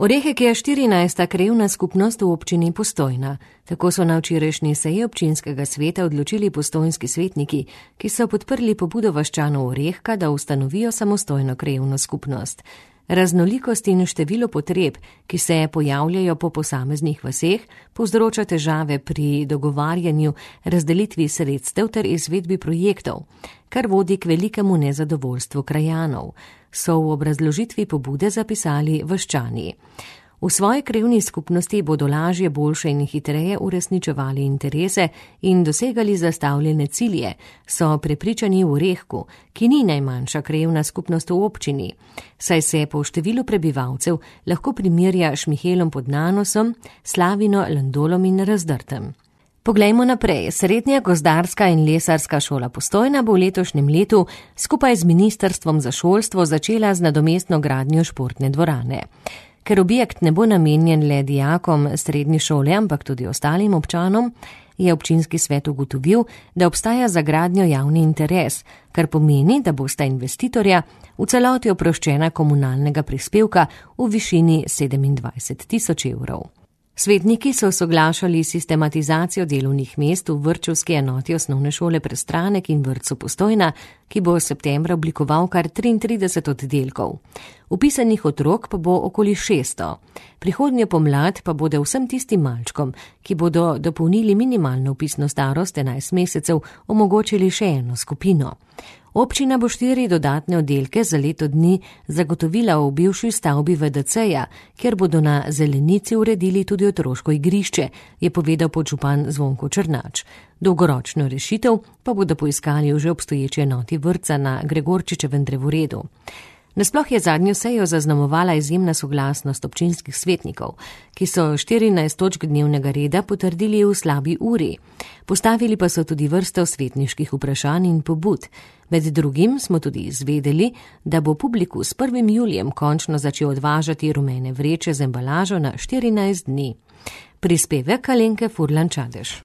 Orehek je 14. krajevna skupnost v občini Postojna. Tako so na včerajšnji seji občinskega sveta odločili postojnski svetniki, ki so podprli pobudo vaščanov Orehka, da ustanovijo samostojno krajevno skupnost. Raznolikost in število potreb, ki se pojavljajo po posameznih vaseh, povzroča težave pri dogovarjanju, razdelitvi sredstev ter izvedbi projektov, kar vodi k velikemu nezadovoljstvu krajanov, so v obrazložitvi pobude zapisali vaščani. V svoji krajevni skupnosti bodo lažje, boljše in hitreje uresničevali interese in dosegali zastavljene cilje, so prepričani v Orehku, ki ni najmanjša krajevna skupnost v občini, saj se po številu prebivalcev lahko primerja Šmihelom pod Nanosom, Slavino, Landolom in Razdrtem. Poglejmo naprej. Srednja gozdarska in lesarska šola Postojna bo v letošnjem letu skupaj z Ministrstvom za šolstvo začela z nadomestno gradnjo športne dvorane. Ker objekt ne bo namenjen le dijakom srednje šole, ampak tudi ostalim občanom, je občinski svet ugotovil, da obstaja za gradnjo javni interes, kar pomeni, da bosta investitorja v celoti oproščena komunalnega prispevka v višini 27.000 evrov. Svetniki so soglašali sistematizacijo delovnih mest v vrtčevski enoti osnovne šole Prestranek in vrtcu Postojna, ki bo septembra oblikoval kar 33 oddelkov. Vpisanih otrok pa bo okoli 600. Prihodnjo pomlad pa bodo vsem tistim malčkom, ki bodo dopolnili minimalno vpisno starost 11 mesecev, omogočili še eno skupino. Občina bo 4 dodatne oddelke za leto dni zagotovila v bivši stavbi VDC-ja, kjer bodo na zelenici uredili tudi otroško igrišče, je povedal podžupan Zvonko Črnač. Dolgoročno rešitev pa bodo poiskali v že obstoječi enoti vrtca na Gregorčičevem drevoredu. Nasploh je zadnjo sejo zaznamovala izjemna soglasnost občinskih svetnikov, ki so 14 točk dnevnega reda potrdili v slabi uri. Postavili pa so tudi vrsto svetniških vprašanj in pobud. Med drugim smo tudi izvedeli, da bo publiku s 1. julijem končno začel odvažati rumene vreče z embalažo na 14 dni. Prispevek Alenke Furlan Čadež.